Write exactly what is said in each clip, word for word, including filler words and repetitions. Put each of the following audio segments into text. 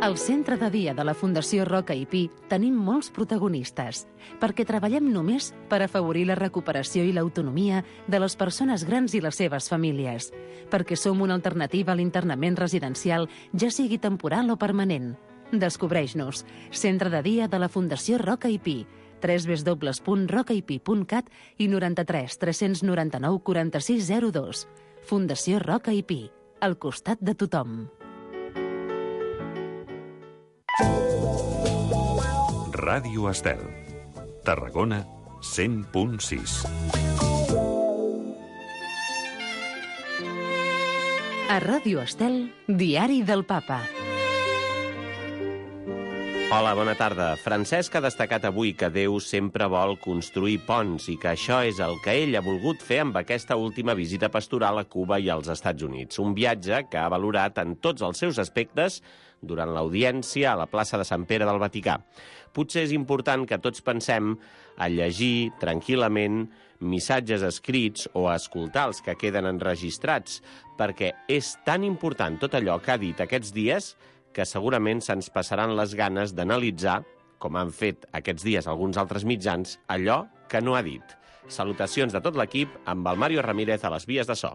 Al centre de dia de la Fundació Roca i Pi tenim molts protagonistes, perquè treballem només per afavorir la recuperació i l'autonomia de les persones grans i les seves famílies, perquè som una alternativa a l'internament residencial, ja sigui temporal o permanent. Descobreix-nos. Centre de dia de la Fundació Roca i Pi. w w w punt roca i pi punt cat i noranta-tres tres noranta-nou quaranta-sis zero dos. Fundació Roca i Pi. Al costat de tothom. Ràdio Estel. Tarragona, cent punt sis. A Ràdio Estel, Diari del Papa. Hola, bona tarda. Francesc ha destacat avui que Déu sempre vol construir ponts i que això és el que ell ha volgut fer amb aquesta última visita pastoral a Cuba i als Estats Units. Un viatge que ha valorat en tots els seus aspectes durant l'audiència a la plaça de Sant Pere del Vaticà. Potser és important que tots pensem a llegir tranquil·lament missatges escrits o a escoltar els que queden enregistrats, perquè és tan important tot allò que ha dit aquests dies que segurament se'ns passaran les ganes d'analitzar, com han fet aquests dies alguns altres mitjans, allò que no ha dit. Salutacions de tot l'equip amb el Mario Ramírez a les vies de so.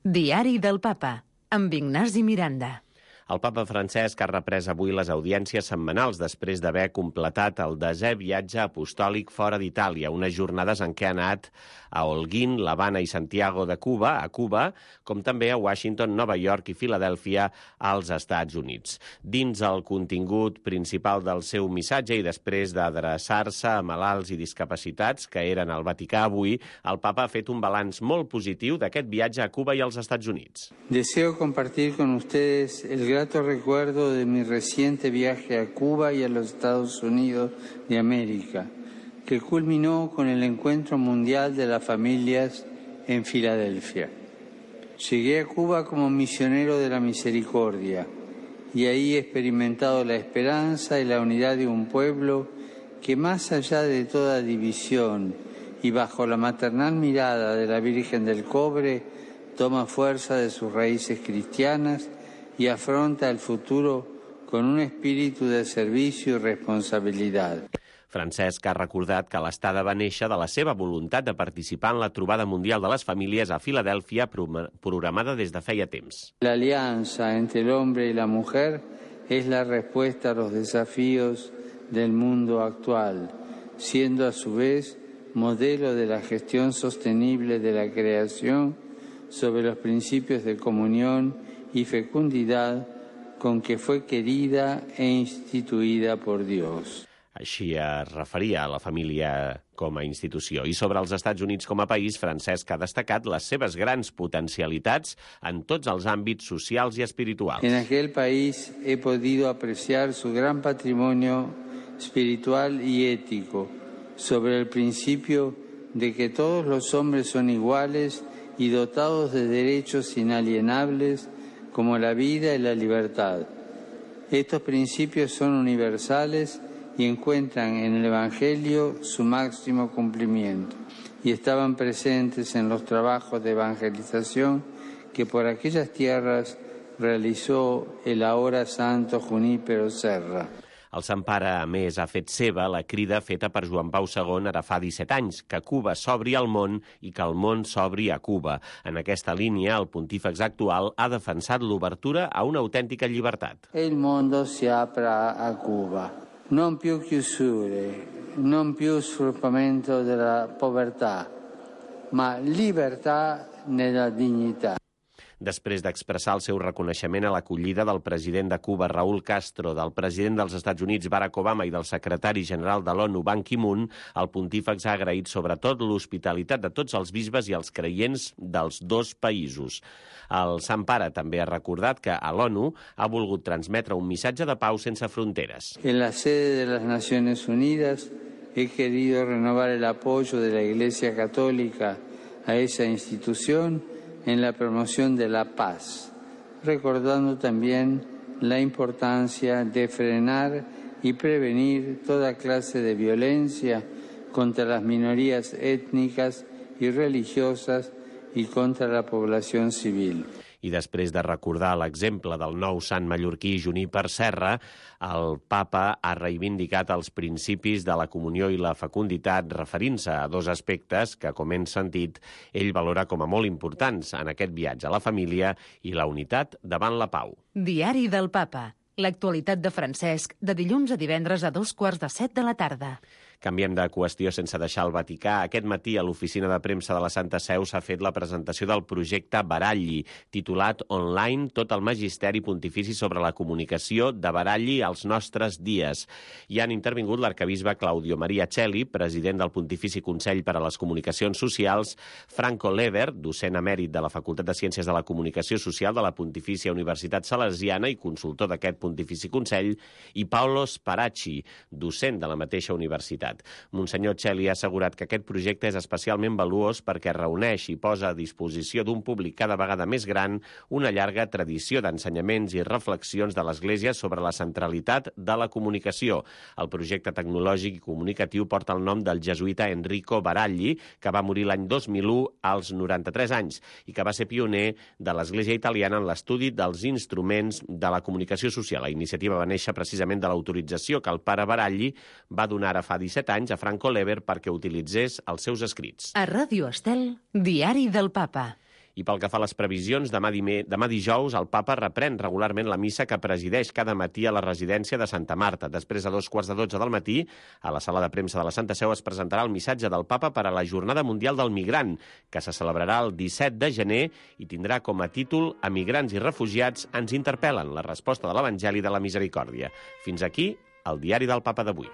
Diari del Papa, amb Ignasi Miranda. El papa Francesc ha reprès avui les audiències setmanals després d'haver completat el desè viatge apostòlic fora d'Itàlia, unes jornades en què ha anat a Holguín, l'Havana i Santiago de Cuba, a Cuba, com també a Washington, Nova York i Filadèlfia, als Estats Units. Dins el contingut principal del seu missatge i després d'adreçar-se a malalts i discapacitats que eren al Vaticà avui, el papa ha fet un balanç molt positiu d'aquest viatge a Cuba i als Estats Units. Deseo compartir con ustedes el grato recuerdo de mi reciente viaje a Cuba y a los Estados Unidos de América, que culminó con el Encuentro Mundial de las Familias en Filadelfia. Llegué a Cuba como misionero de la misericordia y ahí he experimentado la esperanza y la unidad de un pueblo que, más allá de toda división y bajo la maternal mirada de la Virgen del Cobre, toma fuerza de sus raíces cristianas y afronta el futuro con un espíritu de servicio y responsabilidad. Francesc ha recordat que l'estada va néixer de la seva voluntat de participar en la trobada mundial de les famílies a Filadèlfia, programada des de feia temps. La alianza entre el hombre y la mujer es la respuesta a los desafíos del mundo actual, siendo a su vez modelo de la gestión sostenible de la creación sobre los principios de comunión y fecundidad con que fue querida e instituida por Dios. Així es referia a la família com a institució. I sobre els Estats Units com a país, Francesc ha destacat les seves grans potencialitats en tots els àmbits socials i espirituals. En aquel país he podido apreciar su gran patrimonio espiritual y ético sobre el principio de que todos los hombres son iguales y dotados de derechos inalienables como la vida y la libertad. Estos principios son universales y encuentran en el Evangelio su máximo cumplimiento, y estaban presentes en los trabajos de evangelización que por aquellas tierras realizó el ahora santo Junípero Serra. El Sant Pare, a més, ha fet seva la crida feta per Joan Pau segon ara fa disset anys, que Cuba s'obri al món i que el món s'obri a Cuba. En aquesta línia, el pontífex actual ha defensat l'obertura a una autèntica llibertat. El mondo si apra a Cuba. Non più chiusure, non più sfruttamento della povertà, ma libertà nella dignità. Després d'expressar el seu reconeixement a l'acollida del president de Cuba, Raúl Castro, del president dels Estats Units, Barack Obama, i del secretari general de l'ONU, Ban Ki-moon, el pontífex ha agraït sobretot l'hospitalitat de tots els bisbes i els creients dels dos països. El Sant Pare també ha recordat que a l'ONU ha volgut transmetre un missatge de pau sense fronteres. En la sede de las Naciones Unidas he querido renovar el apoyo de la Iglesia Católica a esa institución en la promoción de la paz, recordando también la importancia de frenar y prevenir toda clase de violencia contra las minorías étnicas y religiosas y contra la población civil. I després de recordar l'exemple del nou sant mallorquí Juníper Serra, el papa ha reivindicat els principis de la comunió i la fecunditat referint-se a dos aspectes que, com hem sentit, ell valora com a molt importants en aquest viatge a la família i la unitat davant la pau. Diari del Papa. L'actualitat de Francesc, de dilluns a divendres a dos quarts de set de la tarda. Canviem de qüestió sense deixar el Vaticà. Aquest matí a l'oficina de premsa de la Santa Seu s'ha fet la presentació del projecte Baralli, titulat Online tot el magisteri pontifici sobre la comunicació de Baralli als nostres dies. Hi han intervingut l'arcabisbe Claudio Maria Celli, president del Pontifici Consell per a les Comunicacions Socials, Franco Lever, docent emèrit de la Facultat de Ciències de la Comunicació Social de la Pontifícia Universitat Salesiana i consultor d'aquest Pontifici Consell, i Paolo Sparacci, docent de la mateixa universitat. Monsenyor Celli ha assegurat que aquest projecte és especialment valuós perquè reuneix i posa a disposició d'un públic cada vegada més gran una llarga tradició d'ensenyaments i reflexions de l'Església sobre la centralitat de la comunicació. El projecte tecnològic i comunicatiu porta el nom del jesuïta Enrico Baralli, que va morir l'any dos mil u als noranta-tres anys i que va ser pioner de l'Església italiana en l'estudi dels instruments de la comunicació social. La iniciativa va néixer precisament de l'autorització que el pare Baralli va donar ara fa disset anys a Franco Lever perquè utilitzés els seus escrits. A Ràdio Estel, Diari del Papa. I pel que fa a les previsions, demà, dime, demà dijous el papa reprèn regularment la missa que presideix cada matí a la residència de Santa Marta. Després, a dos quarts de dotze del matí, a la sala de premsa de la Santa Seu es presentarà el missatge del papa per a la Jornada Mundial del Migrant, que se celebrarà el disset de gener i tindrà com a títol Emigrants i refugiats ens interpel·len, la resposta de l'Evangeli de la Misericòrdia. Fins aquí, el Diari del Papa d'avui.